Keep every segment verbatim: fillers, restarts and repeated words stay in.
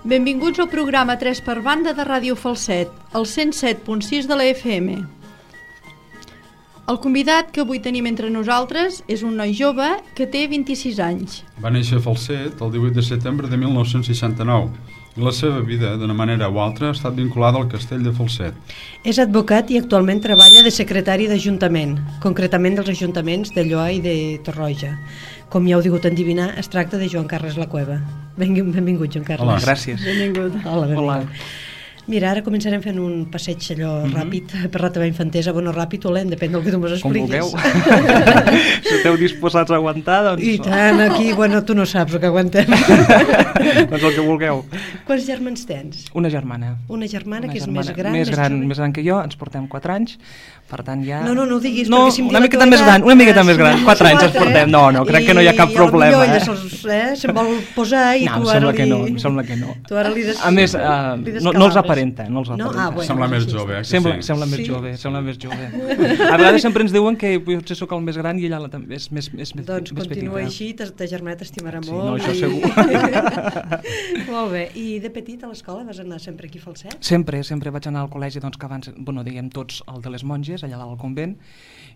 Benvinguts al programa tres per banda de Ràdio Falset, el cent set punt sis de la F M. El convidat que avui tenim entre nosaltres és un noi jove que té vint-i-sis anys. Va néixer a Falset el divuit de setembre de mil nou-cents seixanta-nou i la seva vida, d'una manera o altra, ha estat vinculada al castell de Falset. És advocat i actualment treballa de secretari d'Ajuntament, concretament dels ajuntaments de Lloa i de Torroja. Com ja heu digut endivinar, es tracta de Joan Carles La Cueva. Benvingut, Joan Carles. Hola, gràcies. Benvingut. Hola, benvingut. Hola. Mira, ara començarem fent un passeig allò mm -hmm. ràpid per la teva infantesa. Bueno, ràpid o lent, depèn del que tu m'expliquis. Com vulgueu. Si esteu disposats a aguantar, doncs... I tant, aquí, bueno, tu no saps el que aguantem. Doncs el que vulgueu. Quants germans tens? Una germana. Una germana Una que és germana més gran, més gran, jove? més gran que jo, ens portem quatre anys, per tant ja... No, no, no ho diguis, no, perquè si em una diu la miqueta teva més edat, gran, una miqueta més si gran, no quatre anys ens quatre, portem, no, no, crec que no hi ha cap i problema, eh? eh? Se'ls, eh? Se'm vol posar i no, tu em ara sembla li... que no, em sembla que no. Tu ara li des... A més, uh, li no, no els descalabres. aparenta, no els aparenta. No? Ah, bueno, sembla més sí, jove, eh? Sembla, Sí. sembla més Sí. jove, sembla més jove. A vegades sempre ens diuen que potser sóc el més gran i ella la, és més, és més, Doncs més continua petita. així, ta, ta germana t'estimarà Sí, molt. no, això i... segur. Molt bé, i de petit a l'escola vas anar sempre aquí a Falset? Sempre, sempre vaig anar al col·legi, doncs, que abans, bueno, diguem tots, el de les monges, allà dalt al convent,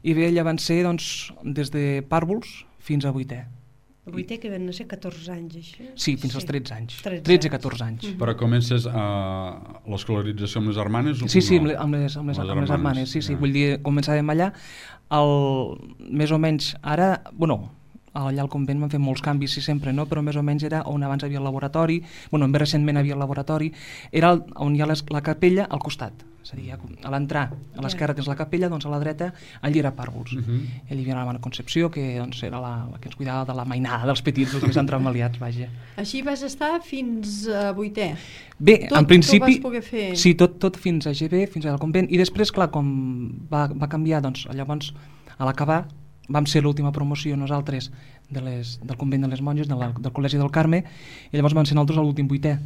i bé, allà van ser, doncs, des de pàrvuls fins a vuitè. El vuitè que van ser catorze anys, això? Sí, fins als tretze anys. tretze tretze a catorze anys. Mm. Però comences a l'escolarització amb les germanes? O Sí, sí, no? amb les, amb les, amb les, Les amb les germanes, germanes, sí, sí, ja. vull dir, començàvem allà, el, més o menys, ara, bueno, allà al convent van fer molts canvis, sí, sempre, no? Però més o menys era on abans havia el laboratori, bueno, més recentment havia el laboratori, era el, on hi ha les, la capella al costat, és a dir, a l'entrar, a l'esquerra tens la capella, doncs a la dreta allí era pàrvuls. Uh -huh. I allà hi havia la Mare Concepció, que doncs, era la, la que ens cuidava de la mainada dels petits, els més entremaliats, vaja. Així vas estar fins a vuitè? Bé, Tot, en principi... tot vas poder fer? Sí, tot, tot fins a G B, fins al convent, i després, clar, com va, va canviar, doncs, llavors, a l'acabar, vam ser l'última promoció nosaltres de les, del convent de les monges, de la, del Col·legi del Carme, i llavors vam ser nosaltres a l'últim vuitè.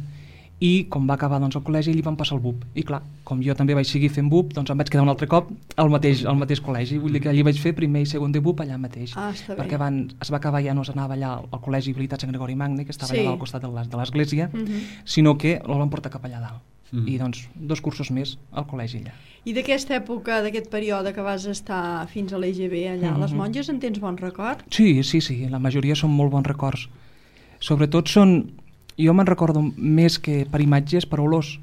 I com va acabar doncs, el col·legi, allí vam passar el B U P. I clar, com jo també vaig seguir fent B U P, doncs em vaig quedar un altre cop al mateix, al mateix col·legi. Vull dir que allí vaig fer primer i segon de B U P allà mateix. Ah, està bé. Perquè van, es va acabar, ja no s'anava allà al Col·legi Habilitat Sant Gregori Magne, que estava Sí. allà al costat de l'es- de l'església, Uh -huh. sinó que el van portar cap allà dalt. Mm. I doncs dos cursos més al col·legi allà. I d'aquesta època, d'aquest període que vas estar fins a l'E G B allà, a les Mhm. monges, en tens bon record? Sí, sí, sí, la majoria són molt bons records. Sobretot són, jo me'n recordo més que per imatges, per olors.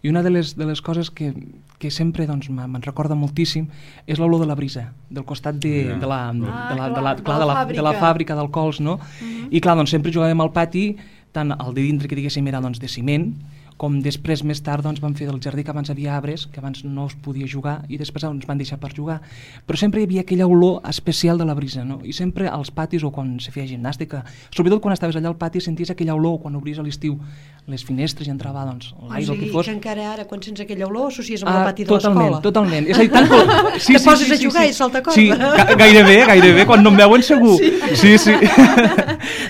I una de les, de les coses que, que sempre doncs, me- me'n recorda moltíssim és l'olor de la brisa, del costat de, Ja. de, la, de, Ah, de, la, de, clar, la, de clar, la de, la, de la fàbrica. fàbrica d'alcohols, no? Mhm. I clar, doncs sempre jugàvem al pati, tant el de dintre que diguéssim era doncs, de ciment, com després més tard doncs, van fer del jardí, que abans havia arbres, que abans no es podia jugar i després ens van deixar per jugar, però sempre hi havia aquella olor especial de la brisa, no? I sempre als patis o quan se feia gimnàstica, sobretot quan estaves allà al pati senties aquella olor, quan obries a l'estiu les finestres i entrava doncs, l'aire, O el que sigui, fos. que encara ara, quan sents aquella olor, associes amb Ah, el pati de totalment, l'escola. totalment. És a dir, tant que... Te poses a jugar i salta corda. Sí, ga gairebé, gairebé, quan no em veuen segur. Sí, sí. sí.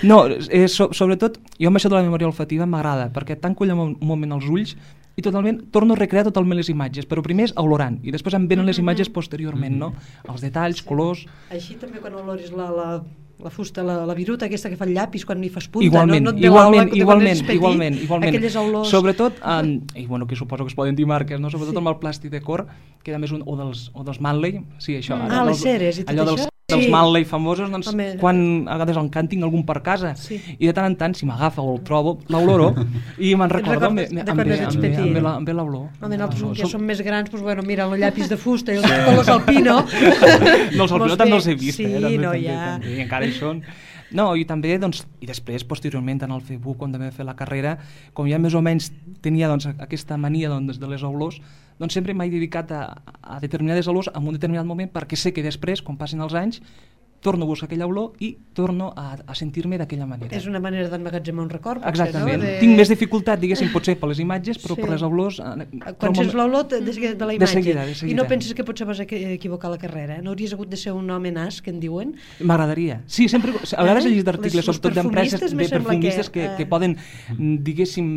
No, eh, so sobretot, jo amb això de la memòria olfativa m'agrada, perquè tanco allà un moment els ulls i totalment, torno a recrear totalment les imatges, però primer és olorant i després em venen les imatges posteriorment, no? Els detalls, colors... Així també quan oloris la, la, la fusta, la, la viruta aquesta que fa el llapis quan hi fas punta, Igualment, no, no et veu igualment, aula, que igualment, quan ets petit, igualment, igualment. aquelles olors... Sobretot, en, i bueno, que suposo que es poden dir marques, no? Sobretot amb el plàstic de cor, que a més un, o dels, o dels Manley, sí, això. Mm. allò Ah, les dels- ceres i tot allò això? dels, dels Sí. Manley famosos, doncs, Home. quan a vegades en cantin algun per casa, Sí. i de tant en tant, si m'agafa o el trobo, l'oloro, i me'n recordo, em ve, recordes de em quan ve, eres em ve, petit? em ve la- em ve l'olor. Home, nosaltres No, que som- som més grans, doncs, bueno, mira, el llapis de fusta i els colors alpino... No, els alpino també els he vist, sí, eh? També, no, també, ja... també, i encara hi són. No, i també, doncs, i després, posteriorment, en el Facebook, quan també fer la carrera, com ja més o menys tenia doncs, aquesta mania doncs, de les olors, doncs sempre m'he dedicat a, a determinades olors en un determinat moment perquè sé que després, quan passin els anys, torno a buscar aquella olor i torno a, a sentir-me d'aquella manera. És una manera d'emmagatzemar un record, potser, Exactament. no? De... Tinc més dificultat, diguéssim, potser per les imatges, però Sí. per les olors... eh, Quan trobo- sents l'olor de, de, de la De imatge seguida, de i seguida. no penses que potser vas a equi- equivocar la carrera, eh? No hauries hagut de ser un home nas, que en diuen? M'agradaria. Sí, sempre, a vegades he llegit articles, Les- sobretot els d'empreses, perfumistes de me sembla perfumistes que, que, eh, que poden, mm, diguéssim,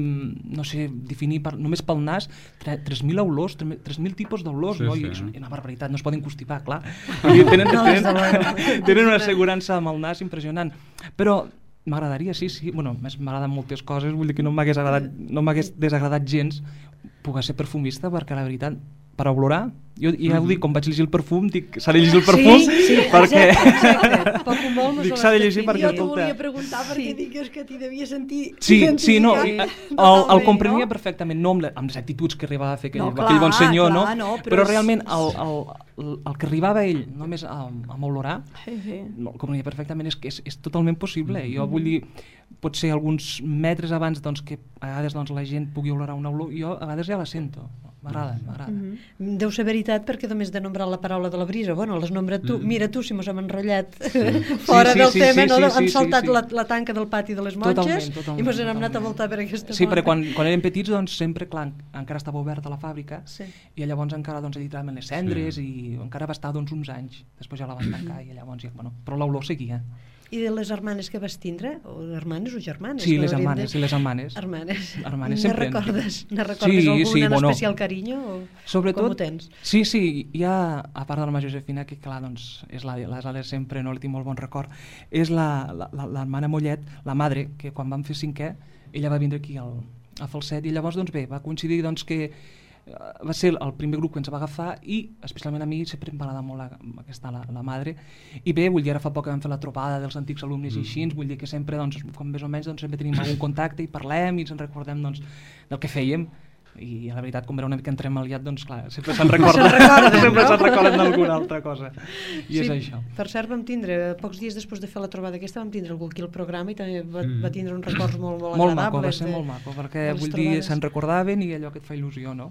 no sé, definir per, només pel nas tre- tres mil olors, tres mil tipus d'olors, Sí, no? sí. I és una barbaritat, no es poden constipar, clar. I tenen, No, tenen, des de luego. tenen una assegurança amb el nas impressionant. Però M'agradaria, sí, sí. Bueno, m'agraden moltes coses, vull dir que no m'hagués agradat, no m'hagués desagradat gens poder ser perfumista, perquè la veritat, per olorar, jo ja ho dic, quan vaig llegir el perfum, dic, s'ha de llegir el perfum, sí, sí, perquè... Exacte, exacte. Poc o molt mos dic, s'ha de llegir perquè, Jo t'ho escolta... volia preguntar perquè sí. Dic que t'hi devia sentir Sí, sí, no, identificat el, totalment, el comprenia no? perfectament, no amb, la, amb les actituds que arribava a fer aquell, No, clar, aquell bon senyor, clar, no? no, però però és- realment el, el, el, el que arribava ell només a, a olorar, Sí, sí. no, el comprenia perfectament, és que és, és totalment possible. Jo vull dir, potser alguns metres abans doncs, que a vegades doncs, la gent pugui olorar una olor, jo a vegades ja la sento. M'agrada, m'agrada. Mhm. Deu ser veritat perquè només de nombrar la paraula de la brisa, bueno, l'has nombrat tu, mira tu si mos hem enrotllat fora Sí, sí, del sí, tema, sí, no? sí, Hem sí, saltat sí, sí. La, la tanca del pati de les monges Totalment, totalment, i mos hem anat a totalment. voltar per aquesta Sí, porta. perquè quan, quan érem petits doncs, sempre clar, encara estava oberta la fàbrica Sí. i llavors encara doncs, editaven les cendres sí. i encara va estar doncs, uns anys. Després ja la van tancar i llavors ja, bueno, però l'olor seguia. I de les hermanes que vas tindre? O hermanes o germanes? Sí, que les hauríem hermanes, de- sí, les hermanes. Hermanes. Hermanes, Ne sempre. recordes, ne recordes Sí, alguna sí, en bueno. especial carinyo? O Sobretot, com ho tens? sí, sí, hi ha, a part de la Mare Josefina, que clar, doncs, és la, la de sempre, no li tinc molt bon record, és la, la, la, l'hermana Mollet, la madre, que quan vam fer cinquè, ella va vindre aquí al, a Falset, i llavors, doncs bé, va coincidir doncs, que eh, va ser el primer grup que ens va agafar i especialment a mi sempre em va agradar molt la, aquesta, la, la madre, i bé, vull dir, ara fa poc que vam fer la trobada dels antics alumnes mm. i així, vull dir que sempre, doncs, com més o menys, doncs, sempre tenim algun contacte i parlem i ens en recordem doncs, del que fèiem, i la veritat, com era una mica entremaliat, doncs clar, sempre se'n recorda, sempre no? se'n recorden d'alguna altra cosa, i Sí, és això. per cert vam tindre, pocs dies després de fer la trobada aquesta, vam tindre algú aquí al programa i també va, Mm. va tindre uns records molt, molt, Molt maco, agradables. va ser de- molt maco, perquè de les vull dir, trobades. se'n recordaven i allò que et fa il·lusió, no?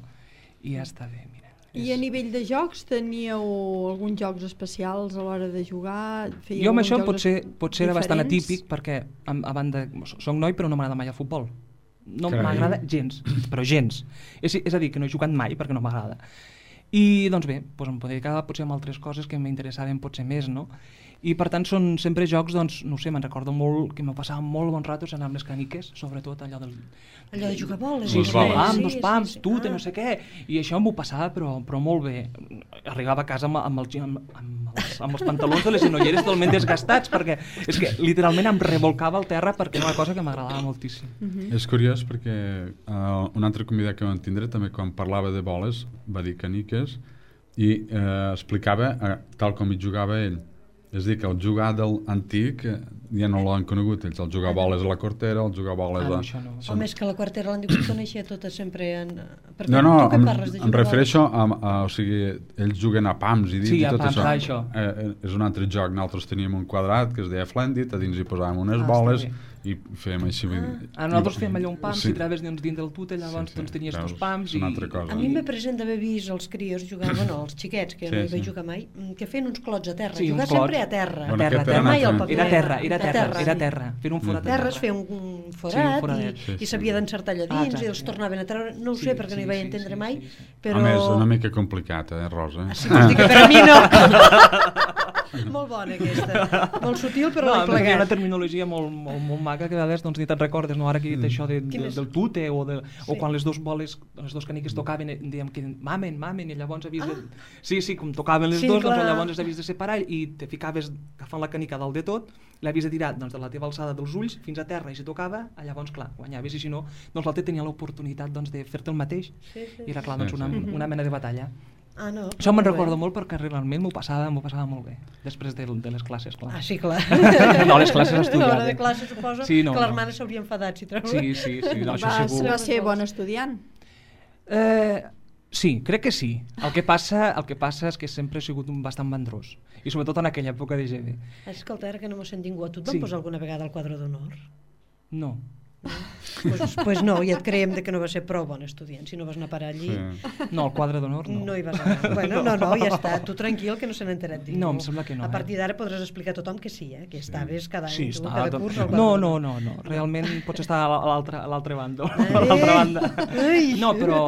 I ja està bé, mira. I a nivell de jocs teníeu alguns jocs especials a l'hora de jugar? Fèieu Jo amb alguns això jocs potser, potser era bastant diferents? atípic perquè a, a banda, soc noi però no m'agrada mai el futbol, no Carai. m'agrada gens, però gens, és, és a dir que no he jugat mai perquè no m'agrada i doncs bé, doncs em podria quedar potser amb altres coses que m'interessaven potser més, no? I per tant són sempre jocs, doncs, no ho sé, me'n recordo molt que me passava molt bons ratos anant amb les caniques, sobretot allò del... Allò de jugar a boles. Sí, Los sí, boles. pam, sí, dos pams, sí, sí. tu, Ah. no sé què, i això m'ho passava però, però molt bé. Arribava a casa amb, amb, el, amb, amb, els, amb els pantalons de les genolleres totalment desgastats perquè és que literalment em revolcava al terra perquè era una cosa que m'agradava moltíssim. Mhm. És curiós perquè uh, un altre convidat que vam tindre també quan parlava de boles va dir caniques i eh, explicava eh, tal com hi jugava ell. És a dir, que el jugar del antic eh, ja no l'han conegut ells, el jugar a boles a la cortera, el jugar a boles Ah, no, a... això no. Home, és que la quartera l'han dit que coneixia tota sempre en... Perquè No, no, tu què em, parles de em jugar a refereixo a, a, o sigui, ells juguen a pams i dit Sí, i a tot pams, això. ah, això. Eh, eh, és un altre joc, nosaltres teníem un quadrat que es deia Flendit, a dins hi posàvem unes Ah, boles està i fèiem així. Vull dir, Ah, nosaltres i- fèiem allò un pam, sí. si traves dins del tute, llavors Sí, sí, doncs tenies veus, dos pams és i... una altra cosa. A mi me present d'haver vist els crios jugar, bueno, els xiquets, que Sí, no hi vaig sí. jugar mai, mm, que feien uns clots a terra. Sí, jugar uns clots. sempre a terra. Bueno, terra, aquest terra, era mai al un paper. Era terra, era A terra, era sí. terra, fer un forat a Terres terra. feia un, un Sí, forat, un foradet. i, Sí, sí. i s'havia d'encertar allà Ah, dins exacte. i els tornaven a treure. No ho Sí, sé perquè no sí, hi vaig sí, entendre sí, mai, sí, sí. però... Home, és una mica complicat, eh, Rosa? Ah, sí, vols dir que per a mi no. Molt bona aquesta. Molt sutil, però no, l'he a més, hi ha una plegat. terminologia molt, molt, molt maca que a vegades doncs, ni te'n recordes, no? Ara que he dit això de, de, Quines? del tute o, de, o Sí. quan les dos boles, les dos caniques tocaven, eh, dèiem que mamen, mamen, i llavors havies de... Ah. Sí, sí, com tocaven les Sí, dos, doncs clar. llavors les havies de separar i te ficaves agafant la canica dalt de tot, l'havies de tirar doncs, de la teva alçada dels ulls fins a terra i si tocava, llavors clar, guanyaves i si no, doncs l'altre tenia l'oportunitat doncs, de fer-te el mateix Sí, sí. i era clar, doncs, Sí, una, sí. una mena de batalla. Ah, no. Això me'n molt bé. recordo molt perquè realment m'ho passava, m'ho passava molt bé, després de, de les classes, clar. Ah, sí, clar. No, les classes estudiades. A l'hora de classe suposo Sí, no, que no. l'hermana s'hauria enfadat si treu. Sí, sí, sí, no, això Va, segur. va ser bon estudiant. Eh, sí, crec que sí. El que passa, el que passa és que sempre he sigut un bastant mandrós. I sobretot en aquella època de G B. Escolta, ara que no m'ho sent ningú, a tu et van Sí. posar alguna vegada al quadre d'honor? No. Pues, pues no, i et creiem de que no va ser prou bon estudiant. Si no vas anar a parar allí, Sí. No, el quadre d'honor no. no hi vas anar. Bueno, no, no, ja està. Tu tranquil, que no se n'ha enterat ningú. No, em sembla que no, A eh? partir d'ara podràs explicar a tothom que sí, eh? Que estaves cada any, Sí, tu, està, cada tot... curs al quadre No, d'honor. no, no, no. Realment pots estar a l'altre a l'altre bàndol, Eh? a l'altra banda. Ai. No, però,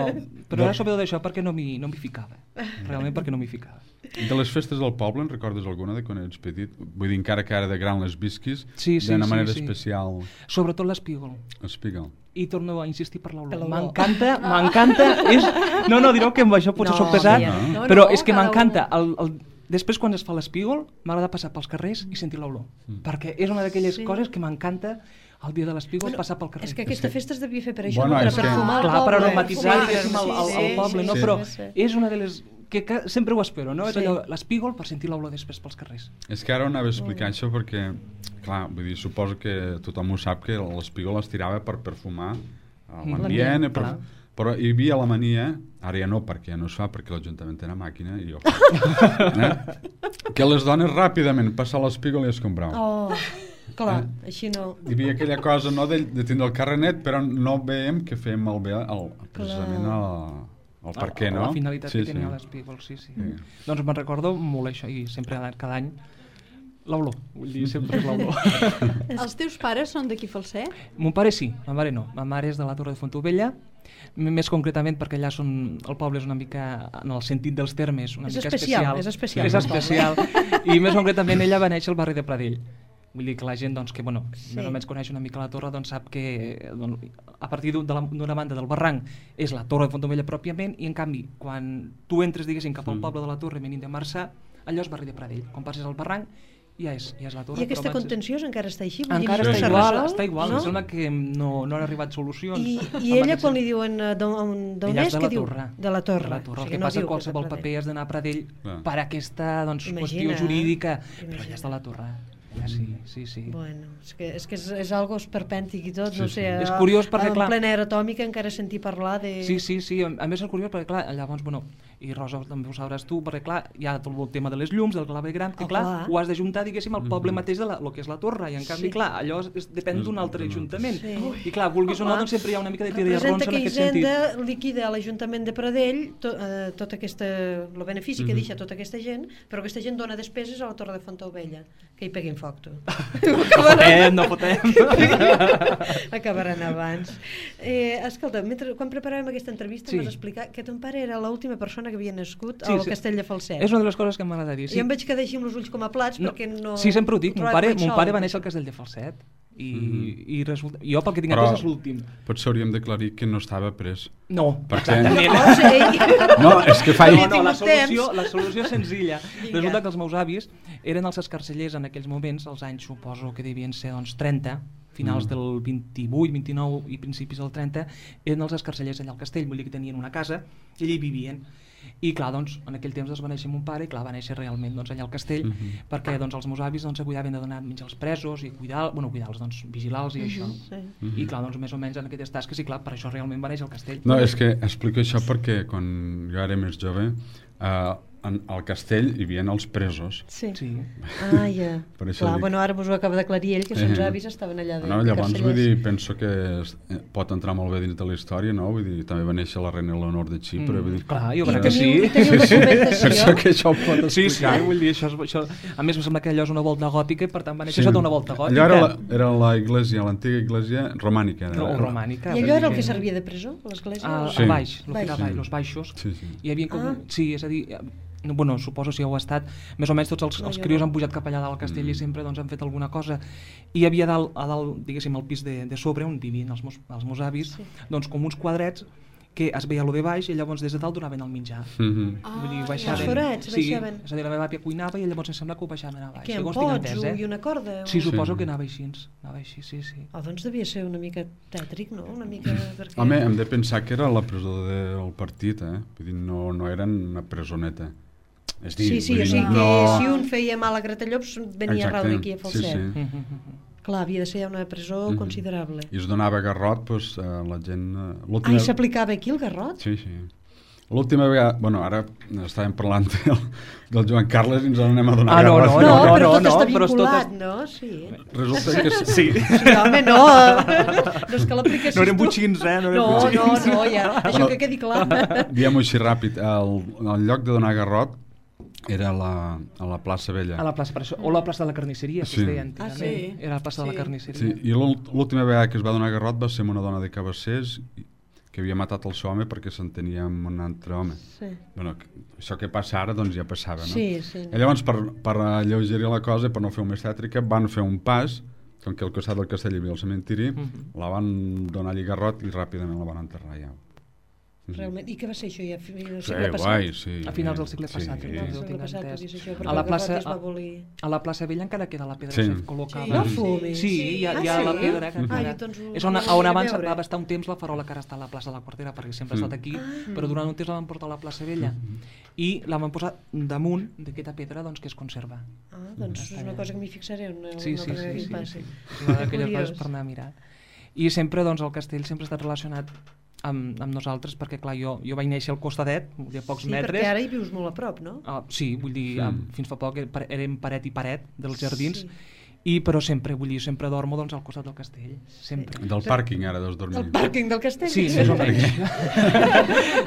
però era sobretot això perquè no m'hi no m'hi ficava. Realment perquè no m'hi ficava. De les festes del poble, en recordes alguna de quan eres petit? Vull dir, encara que ara de gran les visquis, Sí, sí, d'una sí, manera sí. especial. Sobretot l'espígol. Explica. I torno a insistir per Per l'olor. l'olor. M'encanta, m'encanta. És... No, no, direu que amb això potser No, soc pesat, ja. No, però no, és que cada m'encanta el, el Després, quan es fa l'espígol, m'agrada passar pels carrers i sentir l'olor, mm. perquè és una d'aquelles sí. coses que m'encanta el dia de l'espígol bueno, passar pel carrer. És que aquesta festa es devia fer per això, bueno, no? Per que... perfumar el Clar, poble. per aromatitzar Sí, sí, el, el, el poble, sí, no? sí, Però sí. és una de les... que, que sempre ho espero, no? Sí. És allò, l'espígol per sentir l'olor després pels carrers. És que ara ho anava a explicar això perquè, clar, vull dir, suposo que tothom ho sap que l'espígol es tirava per perfumar l'ambient, per... però hi havia la mania, ara ja no, perquè ja no es fa, perquè l'Ajuntament té una màquina i jo eh? que les dones ràpidament passen l'espígol i es compraven. Oh, clar, eh? Així no... Hi havia aquella cosa, no, de, de tindre el carrenet, però no veiem que fem malbé el, precisament el, el per què, no? La finalitat sí, que tenia sí. l'espígol, sí, sí, sí. Doncs me'n recordo molt això, i sempre cada any l'olor, vull dir, sempre és l'olor. Els teus pares són d'aquí Falset? Mon pare sí, ma mare no. Ma mare és de la Torre de Fontaubella, més concretament perquè allà són, el poble és una mica, en el sentit dels termes, una és mica especial, especial. És especial. És especial. I més concretament ella va néixer al barri de Pradell. Vull dir que la gent doncs, que bueno, sí. més o menys coneix una mica la torre doncs, sap que doncs, a partir d'una banda del barranc és la Torre de Fontaubella pròpiament i en canvi quan tu entres diguéssim cap al poble de la Torre venint de Marçà, allò és barri de Pradell. Quan passes al barranc ja és, ja és la torre. I aquesta abans... contenció encara està així? Encara està igual, està igual, no? Em sembla que no, no han arribat solucions. I, i ella quan li diuen d'on és, què diu? De la torre. De la torre. O sigui, el que no passa qualsevol que paper has d'anar a Pradell ah. per aquesta doncs, qüestió jurídica, però ja és de la torre. Ja sí, sí, sí. Bueno, és que és, que és, és algo esperpèntic i tot, sí, no sé, sí. És curiós perquè, en clar... plena era atòmica encara sentir parlar de... Sí, sí, sí, a més és curiós perquè, clar, llavors, bueno, i Rosa també ho sabràs tu, perquè, clar, hi ha tot el tema de les llums, del clave gran, que, oh, clar, clar, ho has d'ajuntar, diguéssim, al poble mateix de la, lo que és la torre, i en canvi, sí. clar, allò és, depèn d'un altre ajuntament. Sí. I, clar, vulguis o no, doncs sempre hi ha una mica de tira i arrons en aquest sentit. Representa que Hisenda liquida a l'Ajuntament de Pradell to, eh, tot aquesta, el benefici mm-hmm. que deixa tota aquesta gent, però aquesta gent dona despeses a la Torre de Fontaubella, que hi peguin foc, tu. No fotem, no fotem. Acabaran abans. Eh, escolta, mentre, quan preparàvem aquesta entrevista sí. em vas explicar que ton pare era l'última persona que havia nascut sí, al sí. Castell de Falset. És una de les coses que m'agrada dir. Sí. I em veig quedar així amb els ulls com a plats no, perquè no... Sí, sempre ho dic. Mon pare, mon pare va néixer al Castell de Falset i, mm-hmm. i resulta... jo pel que tinc entès és l'últim. Potser hauríem d'aclarir que no estava pres. No. Perquè... No, no, és que fa... No, no, la solució, la solució és senzilla. Resulta que els meus avis eren els escarcellers en aquells moments, els anys suposo que devien ser doncs, trenta, finals mm. del vint-i-vuit, vint-i-nou i principis del trenta, eren els escarcellers allà al castell, vull dir que tenien una casa i allà hi vivien. I clar, doncs, en aquell temps es va néixer mon pare i clar, va néixer realment doncs, allà al castell mm-hmm. perquè doncs, els meus avis doncs, cuidaven de donar menjar als presos i cuidar, bueno, cuidar-los, doncs, vigilar-los i això. Mm-hmm. Sí. I clar, doncs, més o menys en aquestes tasques i clar, per això realment va néixer al castell. No, és que explico això perquè quan jo era més jove eh, en, al castell hi havia els presos. Sí. sí. Ah, ja. Per això clar, dic... bueno, ara vos ho acaba d'aclarir ell, que els eh, avis estaven allà de no, llavors, vull dir, penso que es, eh, pot entrar molt bé dins de la història, no? Vull dir, també va néixer la reina Leonor de Xipre, mm, vull dir... Clar, jo I crec que sí. I teniu documentació? Penso que això ho pot explicar. Sí, sí, vull dir, això, això... A més, em sembla que allò és una volta gòtica i per tant va néixer sí. sota una volta gòtica. Allò era la, era la iglesia, l'antiga iglesia romànica. Era, no, romànica. I allò era el que servia de presó, l'església? Ah, sí. El baix, el baix. que era baix, els baixos. Sí, sí. Hi havia com... Ah. Sí, és a dir... bueno, suposo si heu estat, més o menys tots els, no, els crios no. han pujat cap allà dalt al castell mm. i sempre doncs, han fet alguna cosa i hi havia dalt, a dalt, diguéssim, al pis de, de sobre on vivien els meus, els meus avis sí. doncs com uns quadrets que es veia lo de baix i llavors des de dalt donaven el menjar mm-hmm. ah, vull dir, baixaven, els forats sí, baixaven és a dir, la meva àvia cuinava i llavors em sembla que ho baixaven a baix que en pots eh? I una corda sí, suposo sí. que anava així, anava així sí, sí. Oh, doncs devia ser una mica tètric, no? Una mica perquè... Home, hem de pensar que era la presó del partit eh? Vull dir, no, no eren una presoneta. És dir, sí, sí, o sigui que no... si un feia mal a Gratallops venia a raure aquí a Falset. Sí, sí. Mm-hmm. Clar, havia de ser una presó mm-hmm. considerable. I es donava garrot, doncs, a la gent... Ah, i s'aplicava aquí el garrot? Sí, sí. L'última vegada... Bueno, ara estàvem parlant del, del Joan Carles i ens en anem a donar ah, no, garrot. No, no, no, però tot no, està però vinculat, no? Sí. Resulta que... Sí. Sí, home, no. No és que l'aplicació... No eren butxins, eh? No, no, no, no, ja. Això que quedi clar. Diguem-ho així ràpid. El, el lloc de donar garrot era a la, a la plaça Vella. A la plaça, per això, o la plaça de la carnisseria, sí. que es deia antigament. Ah, sí. Era la plaça sí. de la carnisseria. Sí, i l'última vegada que es va donar garrot va ser amb una dona de Cabassers que havia matat el seu home perquè s'entenia amb un altre home. Sí. Bueno, això que passa ara, doncs ja passava, no? Sí, sí. I llavors, per, per alleugerir la cosa, per no fer més tètrica, van fer un pas, com que al costat del castell hi havia el cementiri, mm-hmm. la van donar allí garrot i ràpidament la van enterrar ja. Realment. I què va ser això ja? No Sí, segle passat? guai, sí. A finals del segle Sí. passat, Sí. no? El Jo segle tinc passat, entès. tot i això, A perquè la el plaça- Garrot es va abolir. A la plaça Vella encara queda la pedra Sí. que col·locava. No fumis. Sí, hi ha, hi ha Ah, la sí? pedra que Ah, encara... jo doncs ho- És on, ho on aniré a abans veure. va estar un temps la farola que ara està a la plaça de la Quartera, perquè sempre ha estat Mm. aquí, Ah. però durant un temps la van portar a la plaça Vella i la van posar damunt d'aquesta pedra doncs, que es conserva. Ah, doncs és una cosa que m'hi fixaré una, Sí, una sí, altra sí, que sí, em passi. sí. És una d'aquelles Curiós. coses per anar a mirar. I sempre doncs, el castell sempre ha estat relacionat amb, amb nosaltres, perquè clar, jo, jo vaig néixer al costadet, vull dir, a pocs Sí, metres. perquè ara hi vius molt a prop, no? Ah, sí, vull dir, Sí. mm. fins fa poc érem paret i paret dels jardins, Sí. i però sempre, vull dir, sempre dormo doncs, al costat del castell, sempre. Del pàrquing ara deus dormir. El pàrquing del castell? Sí, més o menys.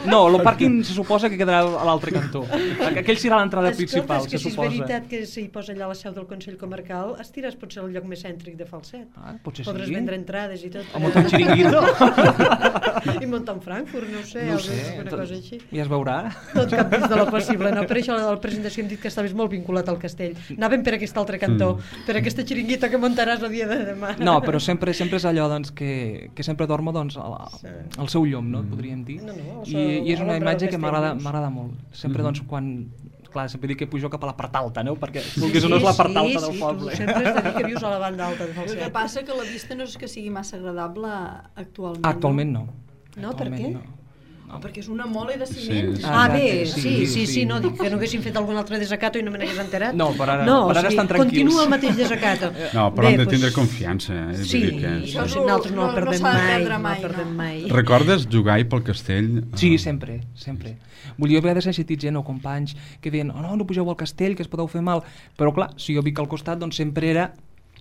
No, el pàrquing se suposa que quedarà a l'altre cantó. Aquell serà l'entrada principal, Escolta, és que se si és suposa. veritat que s'hi posa allà la seu del Consell Comarcal, Estires pot ser el lloc més cèntric de Falset. Ah, potser Podràs sí. vendre entrades i tot. O muntar un xiringuito. I muntar un Frankfurt, no ho sé, No ho alguna sé, una tot- cosa així. ja es veurà. Tot cap dins de lo possible, no? Per això a la presentació hem dit que estaves molt vinculat al castell. Anàvem per aquest altre cantó, per aquesta xiringuita que muntaràs el dia de demà. No, però sempre sempre és allò doncs, que, que sempre dormo doncs, al, Sí. al seu llom, no? Podríem dir. No, no, al I, seu- I és a una l'ombra imatge del que castell, m'agrada doncs. m'agrada molt. Sempre, doncs, quan... Clar, sempre dic que pujo cap a la part alta, no? Perquè Sí, vulguis o no és la part sí, alta del sí, poble. Tu sempre has de dir que vius a la banda alta de El que Falset. passa que la vista no és que sigui massa agradable actualment. Actualment no. No, per Actualment què? No. No, perquè és una mole de ciment. Sí. Ah, Exacte, bé, sí, sí, sí, sí, sí. no, dic que no haguessin fet algun altre desacato i no me n'hagués enterat. No, per ara- no, per ara o sigui, estan tranquils. Continua el mateix desacato. No, però hem de Bé, tindre doncs, confiança. Eh? Sí, Vull dir que... Això no, és sí, lo- nosaltres no, no- el no perdem s'ha de mai, perdre no mai, el perdem no. mai. Recordes jugar-hi pel castell? Sí, Ah. sempre, sempre. Vull dir, jo a vegades he sentit gent o companys que deien, oh, no, no pugeu al castell, que es podeu fer mal. Però clar, si jo vic al costat, doncs sempre era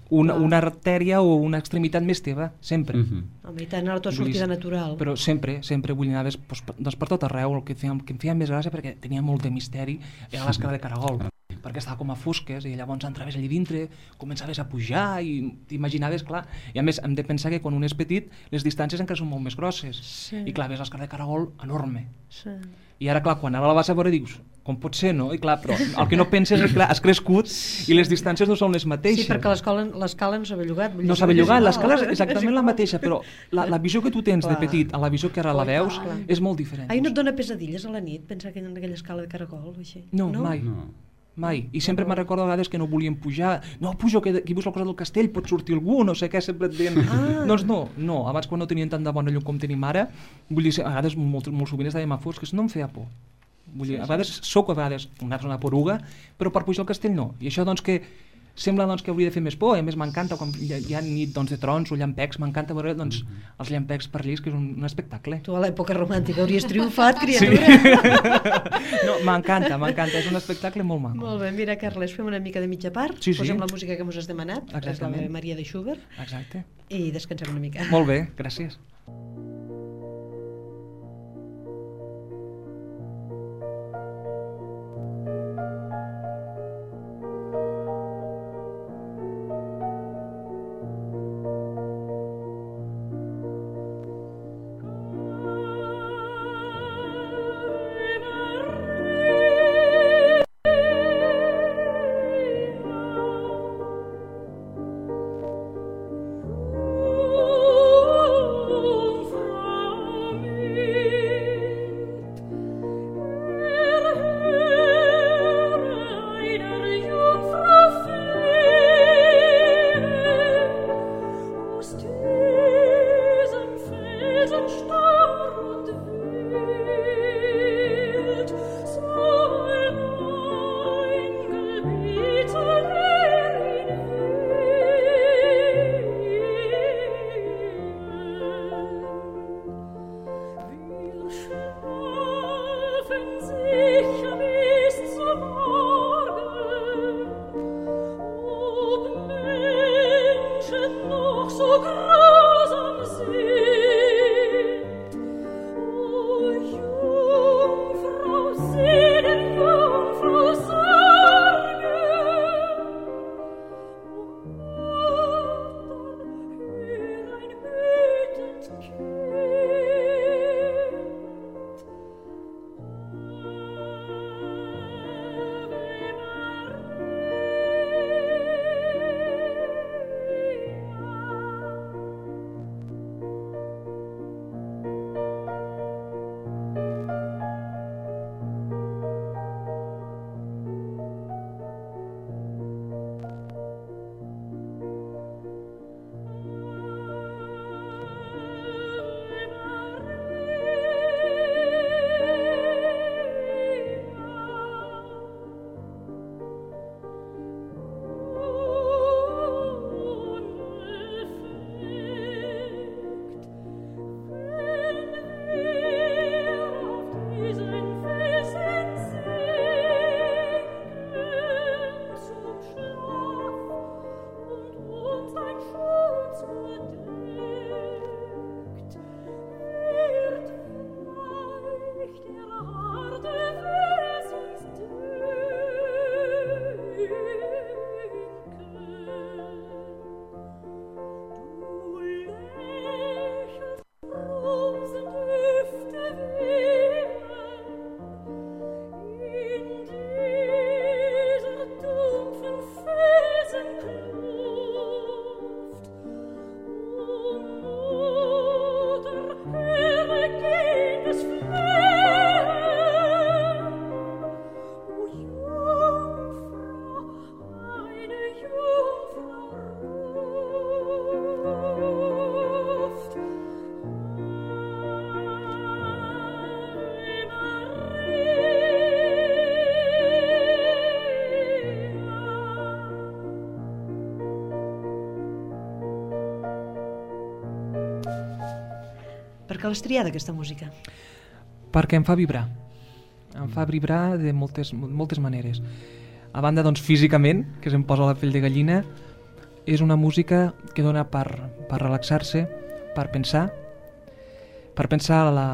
una, una artèria o una extremitat més teva, sempre. Mhm. Home, i tant, a la tua Vull dir, sortida natural. Però sempre, sempre vull anar doncs, per, doncs per tot arreu, el que, feia, que em feia més gràcia perquè tenia molt de misteri era l'escala de caragol, perquè estava com a fosques i llavors entraves allà dintre, començaves a pujar i t'imaginaves, clar, i a més hem de pensar que quan un és petit les distàncies encara són molt més grosses Sí. i clar, ves l'escala de caragol enorme Sí. i ara clar, quan ara la vas a veure dius com pot ser, no? I clar, però el que no penses és que clar, has crescut i les distàncies no són les mateixes. Sí, perquè l'escola l'escala no s'ha bellugat. vull No dir, s'ha bellugat, és l'escala igual. és exactament la mateixa, però la, la visió que tu tens de Clar. petit a la visió que ara la veus Clar. és molt diferent. Ai, no et dona pesadilles a la nit pensar que en aquella escala de caragol o així? No, mai. No. Mai. I sempre me'n recordo a vegades que no volien pujar. No, pujo, que aquí veus al costat del castell, pot sortir algú, no sé què, sempre et deien... Ah. Doncs no, no, abans quan no tenien tant de bona llum com tenim ara, vull dir, a vegades molt, molt sovint estàvem a fosques, no em feia por. Vull dir, a vegades sóc a vegades una persona poruga, però per pujar al castell no. I això doncs que sembla doncs, que hauria de fer més por, a més m'encanta quan hi ha, hi ha nit doncs, de trons o llampecs, m'encanta veure doncs, els llampecs per llis, que és un, un espectacle. Tu a l'època romàntica hauries triomfat, Sí. criatura. No, m'encanta, m'encanta, és un espectacle molt maco. Molt bé, mira, Carles, fem una mica de mitja part, Sí, sí. posem la música que mos has demanat, és la Exactament. de Maria de Schubert, Exacte. i descansem una mica. Molt bé, gràcies. So grausam sind Per què l'has triada, aquesta música? Perquè em fa vibrar. Em fa vibrar de moltes, moltes maneres. A banda, doncs, físicament, que se'm posa la pell de gallina, és una música que dona per, per relaxar-se, per pensar, per pensar la,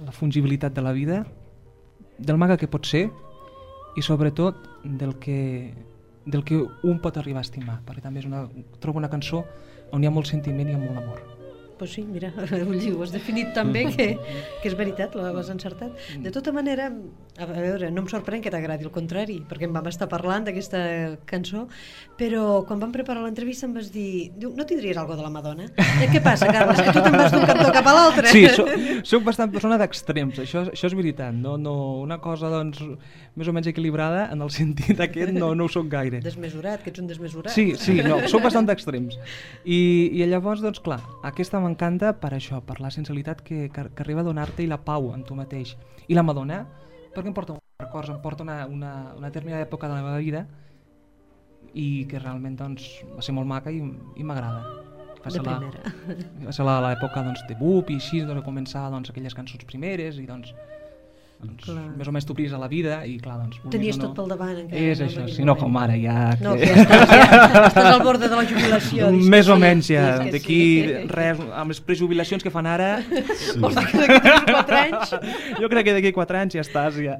la fungibilitat de la vida, del maca que pot ser i sobretot del que, del que un pot arribar a estimar, perquè també és una, trobo una cançó on hi ha molt sentiment i molt amor. Pues sí, mira, ho has definit també, que, que és veritat, l'has encertat. De tota manera, a veure, no em sorprèn que t'agradi, al contrari, perquè em vam estar parlant d'aquesta cançó, però quan vam preparar l'entrevista em vas dir, diu, no tindries alguna de la Madonna? Eh, què passa, Carles, que tu te'n vas d'un cantó cap a l'altre? Sí, soc, soc bastant persona d'extrems, això, això és veritat, no, no, una cosa doncs més o menys equilibrada, en el sentit aquest no, no ho soc gaire. Desmesurat, que ets un desmesurat. Sí, sí, no, soc bastant d'extrems. I, I llavors, doncs clar, aquesta m'encanta per això, per la sensibilitat que, que, que arriba a donar-te i la pau en tu mateix. I la Madonna, perquè em porta uns records, em porta una, una, una determinada època de la meva vida i que realment doncs, va ser molt maca i, i m'agrada. Va ser la, va ser l'època doncs, de Boop i així, doncs, començar doncs, aquelles cançons primeres i doncs, doncs més o menys t'obris a la vida i clar, doncs... Tenies no, tot pel davant encara. És no, això, si no com ara ja... No, que ja estàs, ja estàs al bord de la jubilació. Més o menys ja, d'aquí sí. res, amb les prejubilacions que fan ara... Sí. Vols dir que d'aquí tres o quatre anys? Jo crec que d'aquí quatre anys ja estàs ja.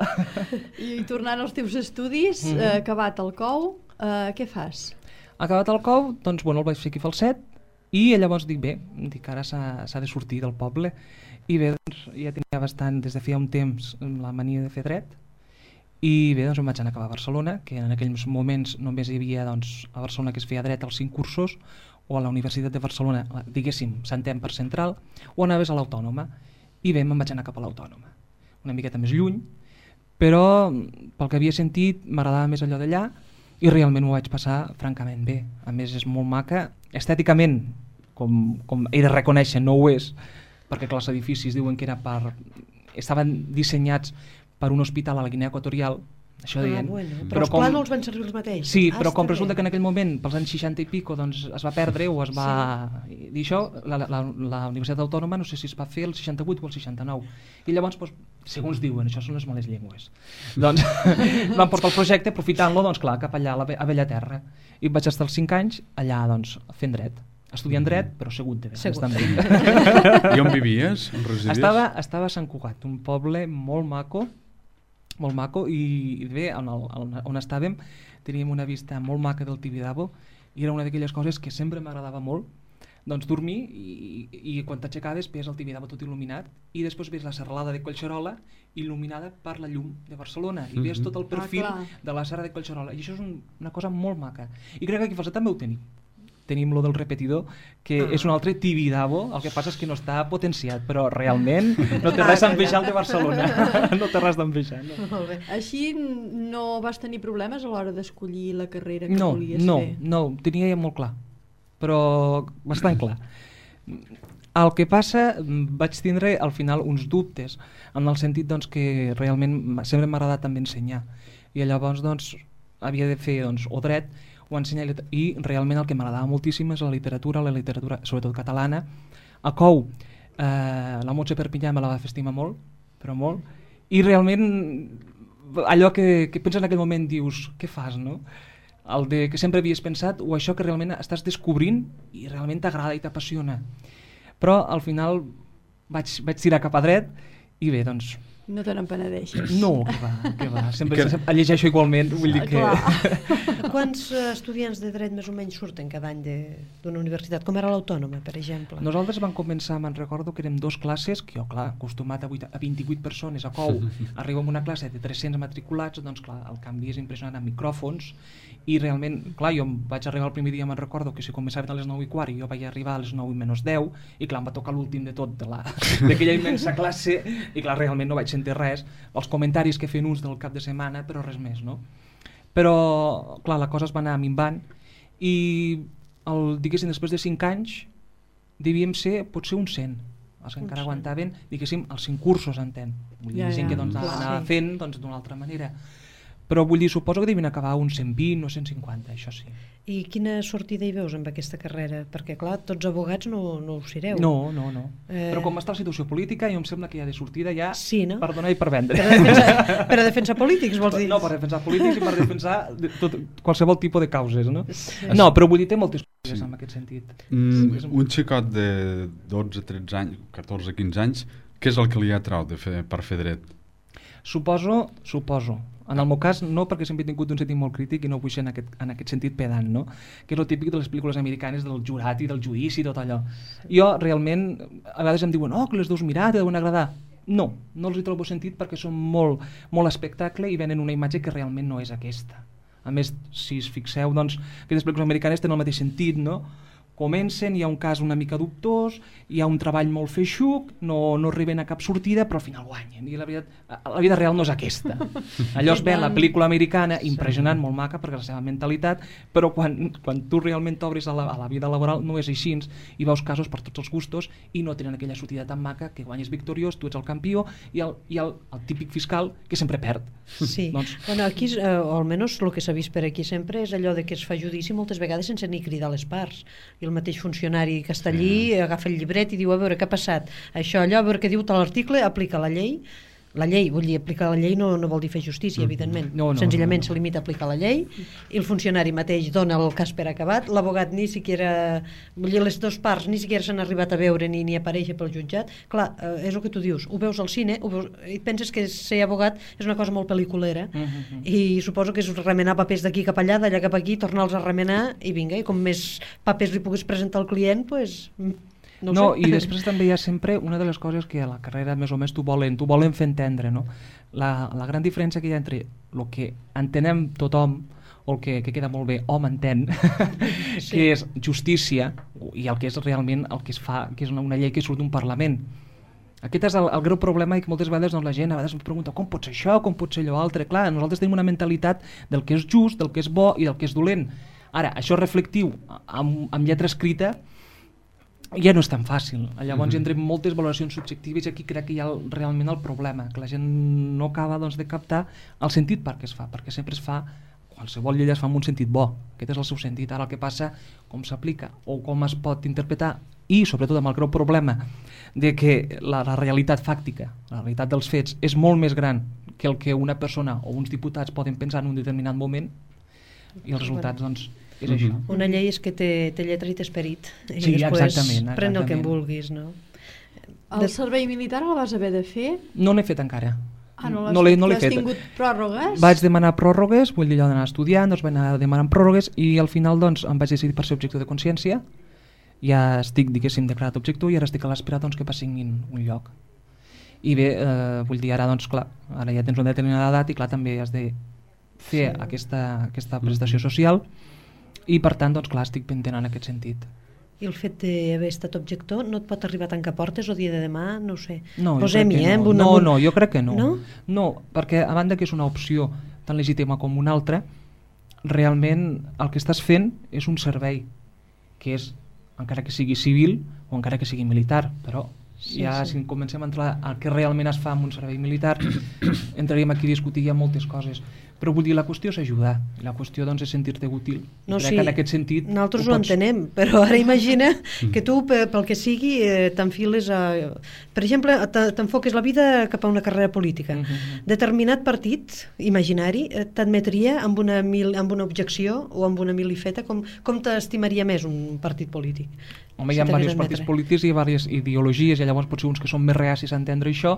I, i tornant als teus estudis, mm-hmm. eh, acabat el cou, eh, què fas? Acabat el cou, doncs bueno, el vaig fer aquí a Falset i llavors dic bé, dic ara s'ha de sortir del poble. I bé, doncs, ja tenia bastant, des de feia un temps, la mania de fer dret. I bé, doncs em vaig anar a Barcelona, que en aquells moments només hi havia doncs, a Barcelona que es feia dret als cinc cursos, o a la Universitat de Barcelona, diguéssim, s'entén per central, o anaves a l'Autònoma. I bé, me'n vaig anar cap a l'Autònoma. Una miqueta més lluny, però pel que havia sentit m'agradava més allò d'allà i realment ho vaig passar francament bé. A més, és molt maca. Estèticament, com, com he de reconèixer, no ho és, perquè clar, els edificis diuen que era per... estaven dissenyats per un hospital a la Guinea Equatorial, això ah, deien. Bueno. Però, però els com... plànols van servir els mateixos. Sí, ah, però com resulta bé. que en aquell moment, pels anys seixanta i pico, doncs es va perdre o es va... Sí. Dir això, la, la, la Universitat Autònoma no sé si es va fer el seixanta-vuit o el seixanta-nou. I llavors, doncs, segons diuen, això són les males llengües. Doncs van portar el projecte aprofitant-lo, doncs clar, cap allà, a la a Bellaterra. I vaig estar els cinc anys allà, doncs, fent dret. Estudiant dret, però segut de dret. I on vivies? On residies? Estava, estava a Sant Cugat, un poble molt maco, molt maco, i bé, on, el, on estàvem teníem una vista molt maca del Tibidabo i era una d'aquelles coses que sempre m'agradava molt, doncs dormir i, i quan t'aixecaves veies el Tibidabo tot il·luminat i després veies la serralada de Collserola il·luminada per la llum de Barcelona i veies tot el perfil ah, de la serra de Collserola i això és un, una cosa molt maca i crec que aquí a Falset també ho tenim. Tenim lo del repetidor, que ah. és un altre Tibidabo, el que passa és que no està potenciat, però realment no té res a envejar el de Barcelona. No té res d'envejar. No. Molt bé. Així no vas tenir problemes a l'hora d'escollir la carrera que no, volies no, fer? No, no, tenia ja molt clar, però bastant clar. El que passa, vaig tindre al final uns dubtes, en el sentit doncs, que realment sempre m'ha agradat també ensenyar, i llavors doncs, havia de fer doncs, o dret, o ensenyar, i realment el que m'agradava moltíssim és la literatura, la literatura sobretot catalana. A Cou, eh, la Montse Perpinyà me la va fer estimar molt, però molt, i realment allò que, que penses en aquell moment dius, què fas, no? El de que sempre havies pensat, o això que realment estàs descobrint i realment t'agrada i t'apassiona. Però al final vaig, vaig tirar cap a dret i bé, doncs... No te n'empenedeixes. No, que va, que va. Sempre que... sempre llegeixo igualment, vull dir que... Quants uh, estudiants de dret més o menys surten cada any d'una universitat? Com era l'Autònoma, per exemple? Nosaltres vam començar, me'n recordo, que érem dos classes, que jo, clar, acostumat a, a vint-i-vuit persones a Cou, arribo a una classe de tres-cents matriculats, doncs clar, el canvi és impressionant amb micròfons, i realment, clar, jo vaig arribar el primer dia, me'n recordo, que si començaven a les nou i quart i jo vaig arribar a les nou i menys deu, i clar, em va tocar l'últim de tot d'aquella immensa classe, i clar, realment no vaig sentir res, els comentaris que feien uns del cap de setmana, però res més, no? Però, clar, la cosa es va anar minvant i, el, diguéssim, després de cinc anys devíem ser, potser un cent, els que encara aguantaven, diguéssim, els cinc cursos, entén. Vull dir, ja, gent ja, que doncs, anava fent doncs, d'una altra manera. però vull dir, suposo que devien acabar uns cent vint o cent cinquanta, això sí. I quina sortida hi veus amb aquesta carrera? Perquè, clar, tots abogats no, no ho sereu. No, no, no. Eh... Però com està la situació política, jo em sembla que ja de sortida ja sí, no? per donar i per vendre. Per a defensar, per a defensar polítics, vols dir? No, per defensar polítics i per defensar tot, qualsevol tipus de causes, no? Sí. No, però vull dir, té moltes coses sí. en aquest sentit. Mm, un xicot de dotze, tretze anys, catorze, quinze anys, què és el que li ha atraut de fer, per fer dret? Suposo, suposo. En el meu cas no, perquè sempre he tingut un sentit molt crític i no vull ser en aquest, en aquest sentit pedant, no? Que és el típic de les pel·lícules americanes del jurat i del judici i tot allò. Jo realment, a vegades em diuen oh, que les deus mirar, te deuen agradar. No, no els hi trobo sentit perquè són molt, molt espectacle i venen una imatge que realment no és aquesta. A més, si es fixeu, doncs, aquestes pel·lícules americanes tenen el mateix sentit, no? Comencen, hi ha un cas una mica dubtós, hi ha un treball molt feixuc, no, no arriben a cap sortida, però al final guanyen. I la, veritat, la vida real no és aquesta. Allò es ve en la pel·lícula americana, impressionant, molt maca, perquè la seva mentalitat, però quan, quan tu realment t'obres a, la, a la vida laboral no és així, i veus casos per tots els gustos i no tenen aquella sortida tan maca que guanyes victoriós, tu ets el campió, i el, i el, el típic fiscal que sempre perd. Sí, doncs... bueno, aquí, eh, o almenys el que s'ha vist per aquí sempre és allò de que es fa judici moltes vegades sense ni cridar les parts. I el mateix funcionari que està allí sí. agafa el llibret i diu a veure què ha passat, això, allò, a veure què diu tal article, aplica la llei, la llei, vull dir, aplicar la llei no, no vol dir fer justícia, evidentment, no, no, senzillament no, no. se limita a aplicar la llei, i el funcionari mateix dona el cas per acabat, l'abogat ni siquiera, vull dir, les dues parts ni siquiera s'han arribat a veure ni, ni aparèixer pel jutjat, clar, eh, és el que tu dius, ho veus al cine, ho veus, i penses que ser abogat és una cosa molt pel·liculera, uh -huh. i suposo que és remenar papers d'aquí cap allà, d'allà cap aquí, tornar-los a remenar, i vinga, i com més papers li puguis presentar al client, doncs... No, no i després també hi ha sempre una de les coses que a la carrera més o més t'ho volen, t'ho volen fer entendre, no? La, la gran diferència que hi ha entre el que entenem tothom o el que, que queda molt bé, hom entén, sí. que és justícia i el que és realment el que es fa, que és una, una llei que surt d'un Parlament. Aquest és el, el greu problema i que moltes vegades doncs, la gent a vegades em pregunta com pot ser això, com pot ser allò altre. Clar, nosaltres tenim una mentalitat del que és just, del que és bo i del que és dolent. Ara, això reflectiu amb, amb lletra escrita ja no és tan fàcil. Llavors hi entrem moltes valoracions subjectives i aquí crec que hi ha el, realment el problema, que la gent no acaba doncs, de captar el sentit per què es fa, perquè sempre es fa, qualsevol llei es fa amb un sentit bo, aquest és el seu sentit. Ara el que passa, com s'aplica o com es pot interpretar, i sobretot amb el greu problema de que la, la realitat fàctica, la realitat dels fets és molt més gran que el que una persona o uns diputats poden pensar en un determinat moment, i els resultats doncs és això. Una llei és que té, té lletra i té esperit i sí, després exactament, pren el que en exactament. vulguis, no? El de... servei militar el vas haver de fer? No l'he fet encara. Ah, no l'has no fet? no Has fet. tingut pròrrogues? Vaig demanar pròrrogues, vull dir allò d'anar estudiant, doncs vaig anar demanant pròrrogues i al final doncs em vaig decidir per ser objector de consciència. Ja estic, diguéssim, declarat objector i ara estic a l'espera doncs, que passin un lloc. I bé, eh, vull dir, ara doncs clar, ara ja tens una determinada edat i clar, també has de fer sí. aquesta, aquesta prestació social i per tant, doncs clar, estic pendent en aquest sentit. I el fet d'haver estat objector no et pot arribar a tancar portes o dia de demà, no ho sé. No, Posem-hi, eh? No. Una... no, no, jo crec que no. No? No, perquè a banda que és una opció tan legítima com una altra, realment el que estàs fent és un servei, que és, encara que sigui civil o encara que sigui militar, però sí, ja sí. si comencem a entrar al que realment es fa en un servei militar, entraríem aquí a discutir ja moltes coses. Però vull dir, la qüestió és ajudar, la qüestió doncs, és sentir-te útil. No, crec sí, que en aquest sentit nosaltres ho, ho pots... entenem, però ara imagina que tu, pel que sigui, eh, t'enfiles a... Per exemple, t'enfoques la vida cap a una carrera política. Uh-huh. Determinat partit imaginari t'admetria amb una, mil, amb una objecció o amb una milifeta, com, com t'estimaria més un partit polític? Home, hi ha diversos partits polítics i diverses ideologies, i llavors potser uns que són més reacis a entendre això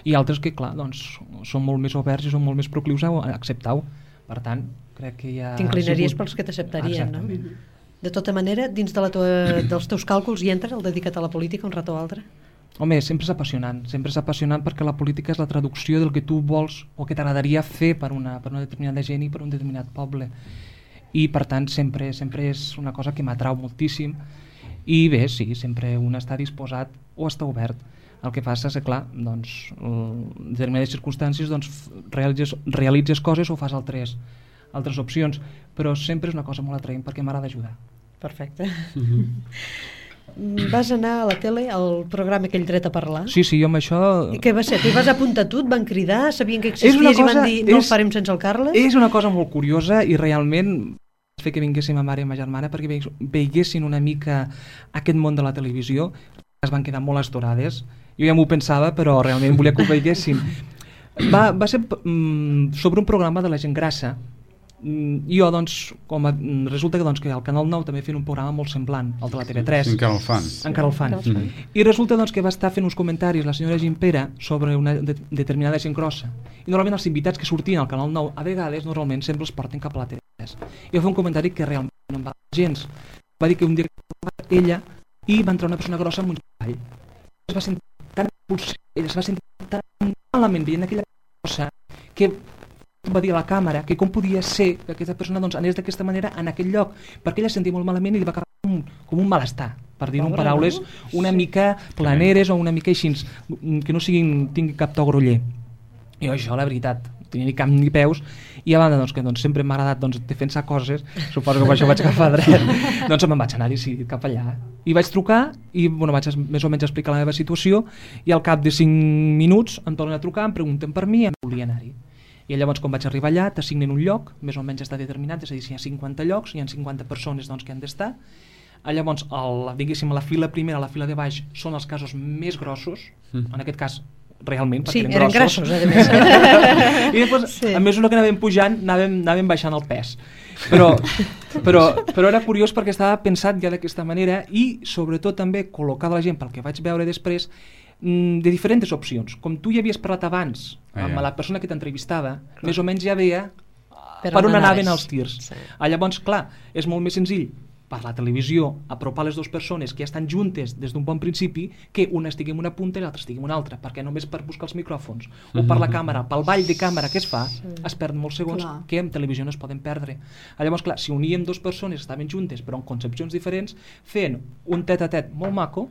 i altres que, clar, doncs, són molt més oberts i són molt més proclius a acceptar-ho. Per tant, crec que hi ha... T'inclinaries sigut... pels que t'acceptarien, no? Exactament. De tota manera, dins de la tua, dels teus càlculs hi entra el dedicat a la política un rato o altre? Home, sempre és apassionant, sempre és apassionant perquè la política és la traducció del que tu vols o que t'agradaria fer per una, per una determinada gent i per un determinat poble. I, per tant, sempre, sempre és una cosa que m'atrau moltíssim. I bé, sí, sempre un està disposat o està obert. El que passa és que, clar, doncs, en determinades circumstàncies doncs, realitzes, realitzes coses o fas altres, altres opcions, però sempre és una cosa molt atraent perquè m'agrada ajudar. Perfecte. Mm-hmm. vas anar a la tele, al programa aquell Dret a Parlar? Sí, sí, jo amb això... I què va ser? T'hi vas apuntar tu? Et van cridar? Sabien que És una existies i cosa- van dir no és- ho farem sense el Carles? És una cosa molt curiosa i realment vaig fer que vinguéssim ma mare i ma germana perquè veig- veiessin una mica aquest món de la televisió. Es van quedar molt estorades. Jo ja m'ho pensava, però realment volia que ho veiessin. Va, va ser mm, sobre un programa de la gent grassa. Mm, jo, doncs, com a, mm, resulta que, doncs, que al Canal nou també feien un programa molt semblant, el de la T V tres. Sí, encara el fan. Encara el fan. Mm. I resulta doncs, que va estar fent uns comentaris la senyora Gimpera sobre una de determinada gent grossa. I normalment els invitats que sortien al Canal nou, a vegades, normalment, sempre els porten cap a la T V tres. I va fer un comentari que realment no em va gens. Va dir que un dia ella i va entrar una persona grossa amb un cavall. Es va sentir tan expulsada, ella es va sentir tan malament veient aquella cosa que va dir a la càmera que com podia ser que aquesta persona doncs, anés d'aquesta manera en aquell lloc, perquè ella es sentia molt malament i li va acabar com un, com un malestar, per dir-ho en Pobre, paraules no? una mica planeres o una mica així, que no siguin, tingui cap to groller. I això, la veritat, no tenia ni cap ni peus, i a banda doncs, que doncs, sempre m'ha agradat doncs, defensar coses, suposo que per això vaig agafar dret, doncs me'n vaig anar decidit cap allà. I vaig trucar i bueno, vaig més o menys explicar la meva situació i al cap de cinc minuts em tornen a trucar, em pregunten per mi i em volia anar-hi. I llavors quan vaig arribar allà t'assignen un lloc, més o menys està determinat, és a dir, si hi ha cinquanta llocs, hi ha cinquanta persones doncs, que han d'estar. Llavors, el, diguéssim, a la fila primera, a la fila de baix, són els casos més grossos, Mm. en aquest cas realment, Sí, perquè eren grossos, a més. I després, Sí. a mesura que anàvem pujant, anàvem, anàvem baixant el pes. Però, però, però era curiós perquè estava pensat ja d'aquesta manera i sobretot també col·locada la gent, pel que vaig veure després, mm, de diferents opcions. Com tu ja havies parlat abans Ah, amb ja. la persona que t'entrevistava, més o menys ja veia Per per, on on anaves. anaven els tirs. Sí. Ah, llavors, clar, és molt més senzill per la televisió apropar les dues persones que ja estan juntes des d'un bon principi que una estigui en una punta i l'altra estigui en una altra, perquè només per buscar els micròfons o per la càmera, pel ball de càmera que es fa, es perden molts segons Clar. que en televisió no es poden perdre. Ah, llavors, clar, si uníem dues persones que estaven juntes però amb concepcions diferents, fent un tet-a-tet molt maco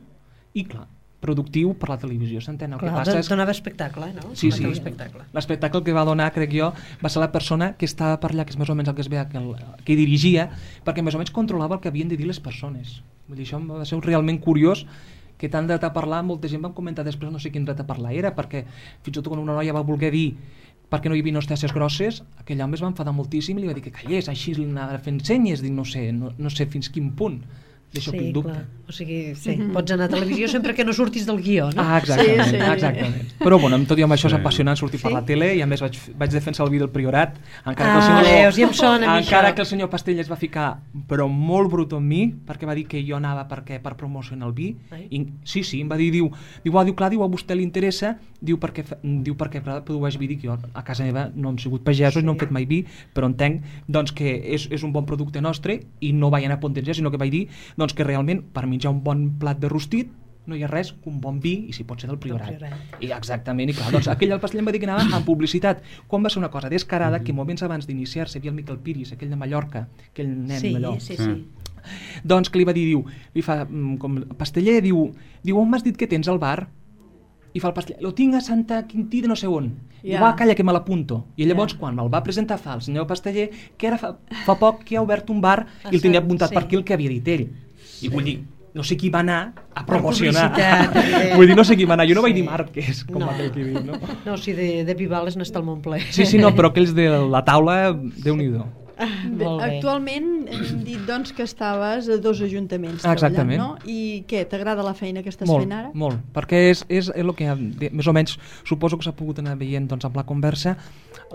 i, clar, productiu per la televisió, s'entén? El que Clar, passa és... donava espectacle, no? Sí, Donava sí. espectacle. L'espectacle que va donar, crec jo, va ser la persona que estava per allà, que és més o menys el que es veia, que, el, que dirigia, perquè més o menys controlava el que havien de dir les persones. Vull dir, això va ser realment curiós, que tant dret a parlar, molta gent va comentar després, no sé quin dret a parlar era, perquè fins i tot quan una noia va voler dir perquè no hi havia hostesses grosses, aquell home es va enfadar moltíssim i li va dir que callés, així anava fent senyes, dic, no sé, no, no sé fins quin punt. D'això Sí, tinc dubte. clar. O sigui, sí, pots anar a televisió sempre que no surtis del guió, no? Ah, exactament, Sí, sí. exactament. Però bueno, amb tot i amb això és Sí. apassionant sortir per Sí? la tele i a més vaig, vaig defensar el vi del Priorat, encara Ah, que el senyor, veus, ja em sona a mi encara això. que el senyor Pastell es va ficar però molt brut amb mi, perquè va dir que jo anava perquè, per promocionar el vi. Ai. I, sí, sí, em va dir, diu, diu, ah, diu, clar, diu, a vostè li interessa, diu, perquè, fa- diu, perquè produeix vi, dic, jo a casa meva no hem sigut pagesos, Sí. no hem fet mai vi, però entenc doncs, que és, és un bon producte nostre i no vaig anar a pontejar, sinó que vaig dir doncs, que realment per menjar un bon plat de rostit no hi ha res que un bon vi i si pot ser del Priorat. Del Priorat. I exactament, i clar, doncs aquell al Pastell em va dir que anava amb publicitat, quan va ser una cosa descarada que moments abans d'iniciar-se havia el Miquel Piris, aquell de Mallorca, aquell nen Sí, allò, sí, sí. doncs que li va dir, diu, li fa, mm, com Pasteller, diu, diu, on m'has dit que tens al bar? I fa el Pasteller, lo tinc a Santa Quintí de no sé on. Ja. I va, calla, que me l'apunto. I llavors, Ja. quan me'l va presentar fa el senyor Pasteller, que ara fa, fa poc que ha obert un bar Ah, i el tenia sí, apuntat sí. per aquí el que havia dit ell. I vull dir, no sé qui va anar a promocionar. publicitat, eh. Vull dir, no sé qui va anar. Jo no vaig Sí. dir Márquez, com No. aquell que diu, no? No, si de, de Pivales n'està el Montple. Sí, sí, no, però aquells de la taula, Déu-n'hi-do. Bé, Molt bé. actualment hem dit doncs, que estaves a dos ajuntaments Exactament. treballant, no? I què, t'agrada la feina que estàs Molt, fent ara? molt, perquè és, és, és el que de- més o menys suposo que s'ha pogut anar veient doncs, amb la conversa,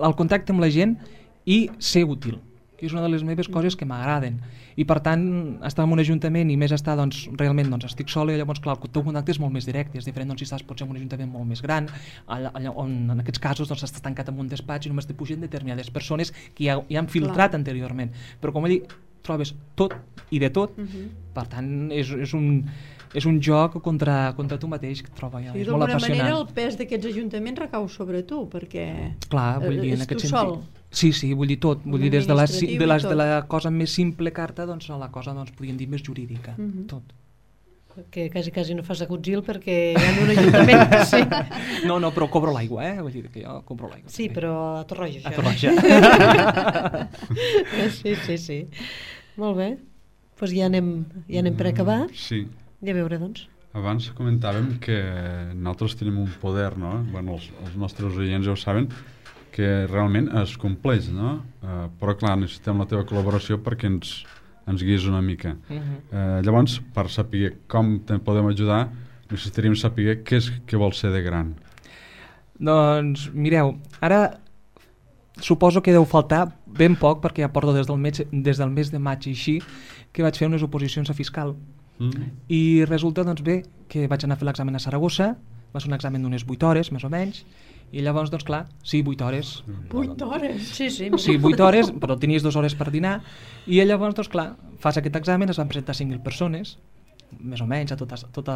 el contacte amb la gent i ser útil, que és una de les meves coses que m'agraden. I per tant, estar en un ajuntament i més estar, doncs, realment, doncs, estic sola i llavors, clar, el teu contacte és molt més directe, és diferent doncs, si estàs potser en un ajuntament molt més gran, allà, allà on en aquests casos doncs, estàs tancat en un despatx i només te pugen determinades persones que ja, ja han filtrat Clar. anteriorment. Però com allí trobes tot i de tot, Uh -huh. per tant, és, és un és un joc contra, contra tu mateix que trobo ja, I és molt d'alguna apassionant. manera el pes d'aquests ajuntaments recau sobre tu, perquè Clar, vull eh, dir, en és aquest tu sentit. sol. Sí, sí, vull dir tot, vull Un dir des de la, si- administratiu de, i les, tot. de la cosa més simple carta doncs a la cosa, doncs, podríem dir, més jurídica, Mhm. tot. Que quasi, quasi no fas agutzil perquè hi ha un ajuntament. Sí, No, no, però cobro l'aigua, eh? Vull dir que jo compro l'aigua. sí, també. però a Torroja, A això. Torroja. Sí, sí, sí. Molt bé. Doncs pues ja anem, ja anem per acabar. Sí. I a veure, doncs. Abans comentàvem que nosaltres tenim un poder, no? Bueno, els, els nostres oients ja ho saben, que realment es compleix, no? Uh, però clar, necessitem la teva col·laboració perquè ens, ens guies una mica. Uh-huh. Uh, llavors, per saber com te podem ajudar, necessitaríem saber què és que vol ser de gran. Doncs, mireu, ara suposo que deu faltar ben poc, perquè ja porto des del mes, des del mes de maig i així, que vaig fer unes oposicions a fiscal. Mm. I resulta, doncs bé, que vaig anar a fer l'examen a Saragossa, va ser un examen d'unes vuit hores, més o menys, i llavors, doncs clar, sí, vuit hores. vuit hores? Sí, sí. Sí, vuit hores, però tenies dues hores per dinar, i llavors, doncs clar, fas aquest examen, es van presentar cinc mil persones, més o menys, a tot, a tot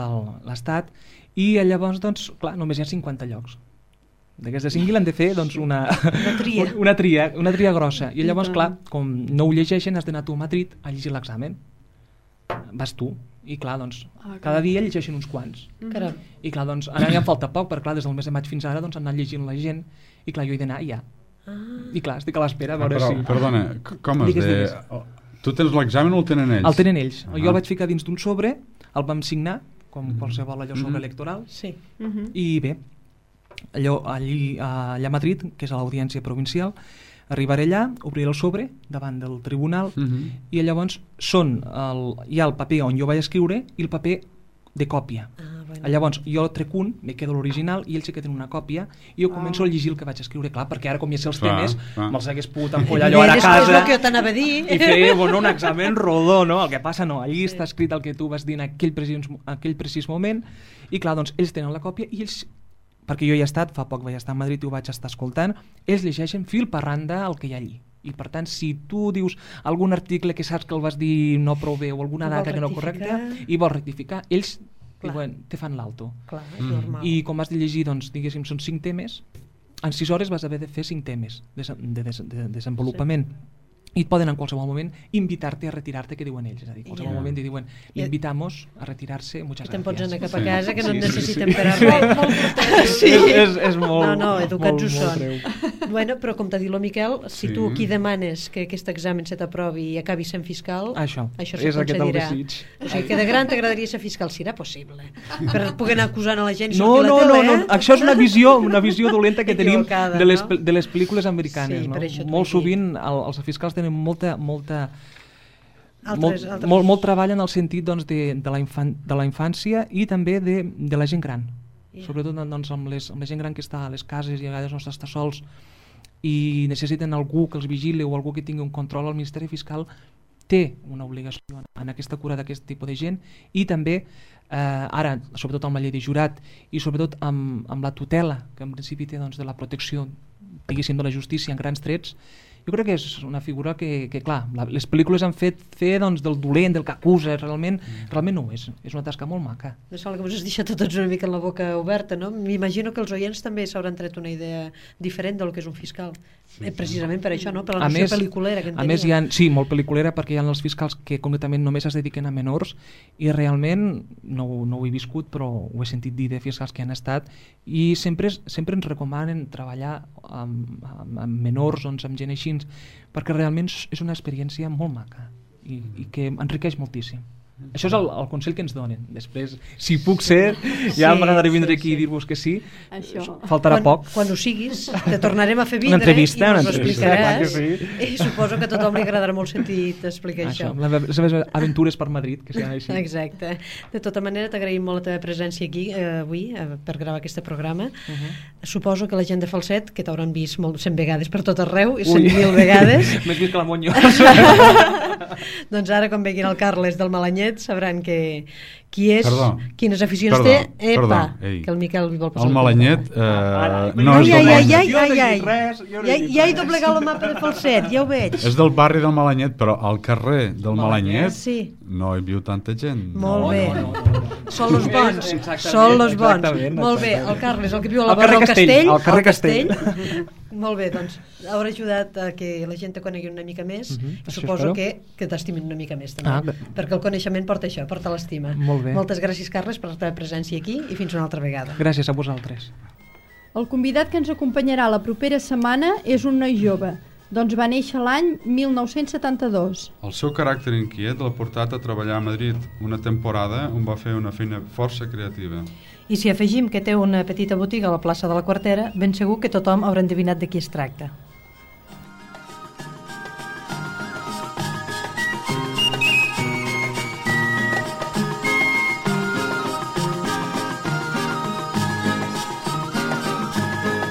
l'estat, i llavors, doncs, clar, només hi ha cinquanta llocs. D'aquests de cinc mil han de fer doncs, una, una, tria. una, tria, una tria grossa. I llavors, clar, com no ho llegeixen, has d'anar tu a Madrid a llegir l'examen. Vas tu. I clar, doncs, ah, cada dia llegeixen uns quants. Caram. I clar, doncs, ara ja em falta poc, perquè clar, des del mes de maig fins ara doncs, han anat llegint la gent, i clar, jo he d'anar ja. Ah. I clar, estic a l'espera a veure ah, però, si... Perdona, com es de... Tu tens l'examen o el tenen ells? El tenen ells. Ah. Jo el vaig ficar dins d'un sobre, el vam signar, com mm-hmm. qualsevol allò sobre mm-hmm. electoral, sí. mm-hmm. i bé, allò, allí, allà a Madrid, que és a l'audiència provincial, arribaré allà, obriré el sobre davant del tribunal uh-huh. i llavors són el, hi ha el paper on jo vaig escriure i el paper de còpia. Ah, bueno. Llavors jo trec un, me quedo l'original i ells sí que tenen una còpia i jo començo oh. a llegir el que vaig escriure, clar, perquè ara com ja sé els clar, temes clar. me'ls hagués pogut empollar allò ara a casa que jo t'anava a dir. I fer bueno, un examen rodó, no? El que passa no, allí sí. està escrit el que tu vas dir en aquell precís, aquell precís moment i clar, doncs ells tenen la còpia i ells, perquè jo hi he estat, fa poc vaig estar a Madrid i ho vaig estar escoltant, ells llegeixen fil per randa el que hi ha allí. I per tant, si tu dius algun article que saps que el vas dir no prou bé o alguna data que no correcta i vols rectificar, ells diuen, te fan l'alto. Clar, és normal. I com has de llegir, doncs, diguéssim, són cinc temes, en sis hores vas haver de fer cinc temes de, de, de, de desenvolupament. Sí. I et poden en qualsevol moment invitar-te a retirar-te, que diuen ells, és a dir, en qualsevol yeah. moment i diuen, l'invitamos a retirarse, muchas gracias. I te'n pots anar cap a casa, sí. que no sí, et necessitem sí, sí. per a res. Sí. És, és, és molt, no, no, educats molt, ho són. Bueno, però com t'ha dit el Miquel, si sí. tu aquí demanes que aquest examen se t'aprovi i acabi sent fiscal, això, això se és concedirà. O sigui que de gran t'agradaria ser fiscal, si era possible, per poder anar acusant a la gent i no, sortir no, a la tele, no, no, eh? això és una visió, una visió dolenta que tenim de les, no? de les pel·lícules americanes. Sí, no? Molt sovint el, els fiscals tenen molta, molta Altres, molt, altres. molt, molt treball en el sentit doncs, de, de, la infan, de la infància i també de, de la gent gran, yeah. sobretot doncs, amb, les, amb la gent gran que està a les cases i a vegades no està sols i necessiten algú que els vigili o algú que tingui un control. El Ministeri Fiscal té una obligació en aquesta cura d'aquest tipus de gent i també eh, ara, sobretot amb la llei de jurat i sobretot amb, amb la tutela que en principi té doncs, de la protecció diguéssim de la justícia en grans trets. Jo crec que és una figura que, que clar, la, les pel·lícules han fet fer doncs, del dolent, del que acusa, realment, mm. realment no ho és. És una tasca molt maca. No sembla que us has deixat a tots una mica la boca oberta, no? M'imagino que els oients també s'hauran tret una idea diferent del que és un fiscal. Sí, precisament per això, no? Per la noció pel·liculera que en a més, hi ha, sí, molt pel·liculera, perquè hi ha els fiscals que concretament només es dediquen a menors i realment, no, no ho he viscut, però ho he sentit dir de fiscals que han estat i sempre, sempre ens recomanen treballar amb, amb, amb menors, doncs, amb gent així, perquè realment és una experiència molt maca i, i que enriqueix moltíssim. Això és el, el consell que ens donen. Després, si puc ser, ja sí, m'agradaré vindre sí, aquí sí. i dir-vos que sí. Això. Faltarà quan, poc. Quan ho siguis, te tornarem a fer vindre una entrevista, i ens ho explicaràs. Sí. I suposo que a tothom li agradarà molt sentir explicar això. això. Les seves aventures per Madrid, que siguin així. Exacte. De tota manera, t'agraïm molt la teva presència aquí eh, avui eh, per gravar aquest programa. Uh-huh. Suposo que la gent de Falset, que t'hauran vist molt, cent vegades per tot arreu, i cent mil vegades. M'has vist que la Monyo. Doncs ara, quan veguin el Carles del Malanyet, sabran que qui és, perdó, quines aficions perdó, té. Epa, perdó, que el Miquel vol passar el Malanyet eh, no ai, és del ai, ai, Malanyet. ai, ai, ai. Ja, ja he doblegat el mapa de Falset, ja ho veig. És del barri del Malanyet, però al carrer del Malanyet sí. no hi viu tanta gent. Molt no, bé. No, no, no, no. Són los bons. Són los bons. Molt bé, el Carles, el que viu a la vora del Castell. Al carrer Castell. Molt bé, doncs haurà ajudat a que la gent te conegui una mica més uh -huh. i suposo que, que t'estimin una mica més també, ah, perquè el coneixement porta això, porta l'estima. Moltes gràcies, Carles, per la teva presència aquí i fins una altra vegada. Gràcies a vosaltres. El convidat que ens acompanyarà la propera setmana és un noi jove, Doncs va néixer l'any mil nou-cents setanta-dos. El seu caràcter inquiet l'ha portat a treballar a Madrid una temporada on va fer una feina força creativa. I si afegim que té una petita botiga a la plaça de la Quartera, ben segur que tothom haurà endevinat de qui es tracta.